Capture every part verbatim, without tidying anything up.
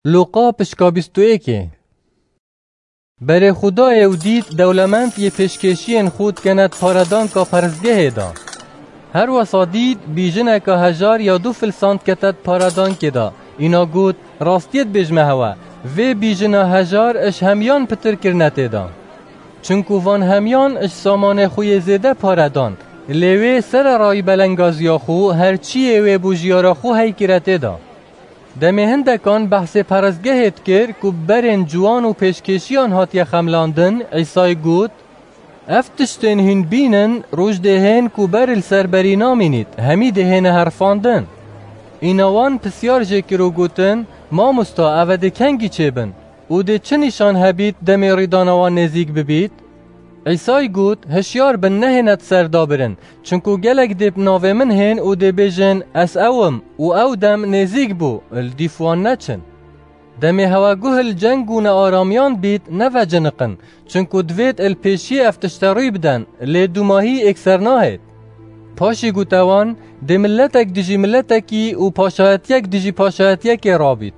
Luqa pişka bîst û yekê. Berê xwe dayê û dît dewlemend yê pêşkêşiyên xwe dikene di paredanka perestgehê de. Her wesa dît bîjineka hejar ya du filsan dikete di paredankê de. Îna got, rastiyê dibêjme hewe, vê bîjina hejar ji hemiyan pitir kirine tê de. Çinku van hemiyan ji samanê xwe yê zêde pare dan, lê wê sererayî belengaziya xwe her çiyê wê bû jiyara xwe hey kire tê de. Demê hindekan behsê perestgehê dikir ku bi berên ciwan û pêşkêşiyan hatiye xemlandin, Îsay got, ev tiştên hîn bînin, roj dê hên ku ber li ser berî namînît, hemî dê hêne herfandin. Îna wan pisyar jê kir û gotin, mamosta, eve dê kengî çêbin? Û dê çi nîşan hebît demê rîdana wan nêzîk bibît? Îsay got, hişyar bin, nehêne di ser dabirin, çinku gelek dê bi navê min hên û dê bêjin, ez ew im, û ew dem nêzîk bû, li dîf wan neçin. Demê hewe guh li ceng û nearamiyan bît, neveciniqin, çinku divêt li pêşiyê ev tişte rûy biden, lê dûmahî êkser nahêt. Paşî gote wan, dê miletek dijî miletekî û paşayetiyek dijî paşayetiyekê rabît.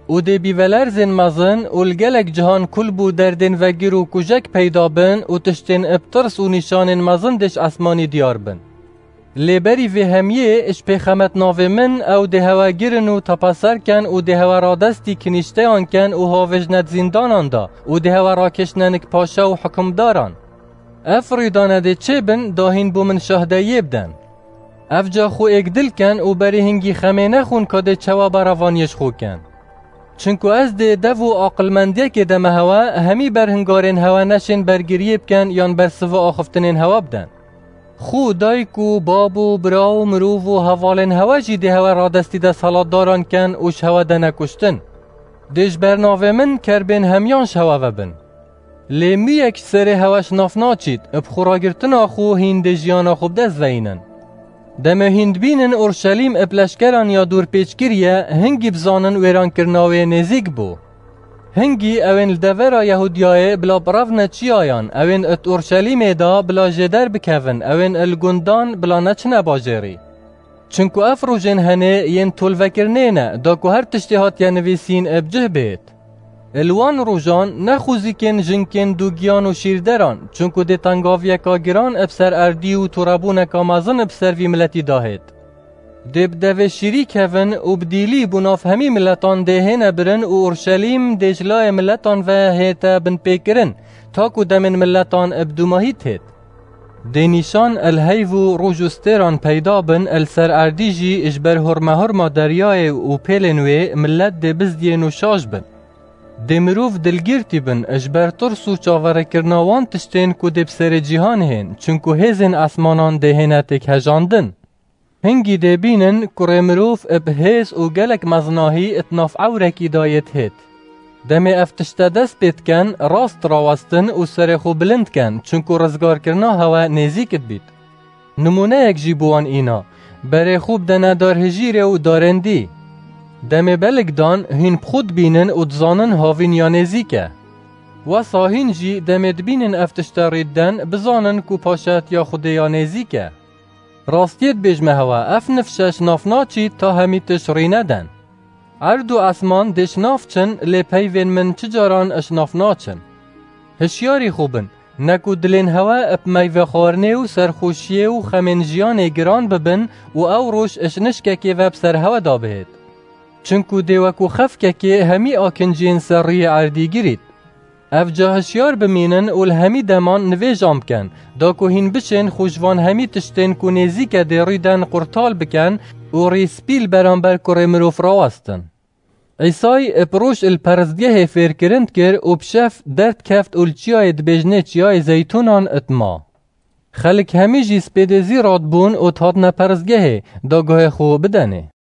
Û dê bîvelerzên mezin û li gelek cihan kul bû derdên vegir û kujek peyda bin û tiştên bi tirs û nîşanên mezin dê ji esmanî diyar bin. Lê berî vê hemiyê ji pêxemet navê min ew dê hewe girin û tepeser ken û dê hewe radestî kinîşteyan ken û havêjne di zîndanan de û dê hewe rakêşne nik paşa û hukimdaran. Ev rûydane dê çêbin, da hîn bo min şahdeyiyê biden. Ev ca xwe êkdil ken û berê hingî xemê nexwin ka dê çawa berevaniyê ji xwe ken. Çinku ez dê dev û aqilmendiyekê deme hewe, hemî berhingarên hewe neşên bergiriyê biken yan bersiva axiftinên hewe biden. Xwe dayik û bab û bira û mirov û hevalên hewe jî dê hewe radestî desthilatdaran ken û ji hewe dene kuştin. Dê ji ber navê min kerbên hemiyan ji hewe ve bin. Lê mûyek ji serê hewe ji nav naçît, bi xwe ragirtina xwe hîn dê jiyana xwe bi dest veyînin. Demê hîn dibînin Urşelîm bi leşkeran ya dûrpêç kiriye, hingî bizanin wêrankirina wê nêzîk bû. Hingî ewên li devera Yehûdiyayê bila birevne çiyayan, ewên di Urşelîmê de bila jêder bikevin, ewên li gundan bila neçine bajêrî. Çinku ev rojên henê yên tolvekirinê ne, da ku her tiştê hatiye nivîsîn bi cih bêt. Li wan rojan ne xwezîkên jinkên dûgiyan û şîrderan, çinku dê tengaviyeka giran bi ser erdî û torebûneka mezin bi ser vî miletî dahêt. Dê bi devê şîrî kevin û bi dîlî bo nav hemî miletan dê hêne birin û Urşelîm dê ji layê miletan ve hête binpêkirin, ta ku demên miletan bi dûmahî têt. Dê nîşan el heyv û roj û stêran peyda bin, el ser erdî jî ji ber hurmehurma deryayê û pêlên wê milet dê bizdiyên û şaş bin. Dê mirov dilgîrtî bin ji ber tirs û çaverêkirina wan tiştên ku dê bi serê cîhan hên, çinku hêzên esmanan dê hêne têkhejandin. Hingî dê bînin kurê mirov bi hêz û gelek mezinahî di nav ewrekî de yê dihêt. Demê ev tişte dest pê diken, rast rawestin û serê xwe bilind ken, çinku rizgarkirina hewe nêzîk dibît. Nimûneyek jî bi wan îna, berê xwe bidene darhijîrê û darên dî. Demê belik dan, hîn bi xwe dibînin û dizanin havîn ya nêzîk e. Wesa hîn jî demê dibînin ev tişte rî diden, bizanin ku paşayetiya Xwedê ya nêzîk e. Rastiyê dibêjme hewe, ev nifşe ji nav naçî ta hemî tişt rî neden. Erd û esman dê ji nav çin, lê peyvên min çi caran ji nav naçin. Hişyarî xwe bin, ne ku dilên hewe bi meyve xwarinê û serxweşiyê û xemên jiyanê giran bibin û ew roj ji nişkekê ve bi ser hewe de bihêt. Çinku dê wekû xefkekê hemî akinciyên ser rûyê erdî girît. Ev ca hişyar bimînin û li hemî deman nivêjan bikin, da ku hîn biçên xwe ji van hemî tiştên ku nêzîke dê rûyden qurtal bikin û rî spî li beramber kurê mirov rawestin. Îsay bi roj li perestgehê fêrkirin dikir û bi şev derdikeft û li çiyayê dibêjinê çiyayê Zeytûnan dima. Xelk hemî jî spêdê zî radibûn û dihatine perestgehê, da guhê xwe bidenê.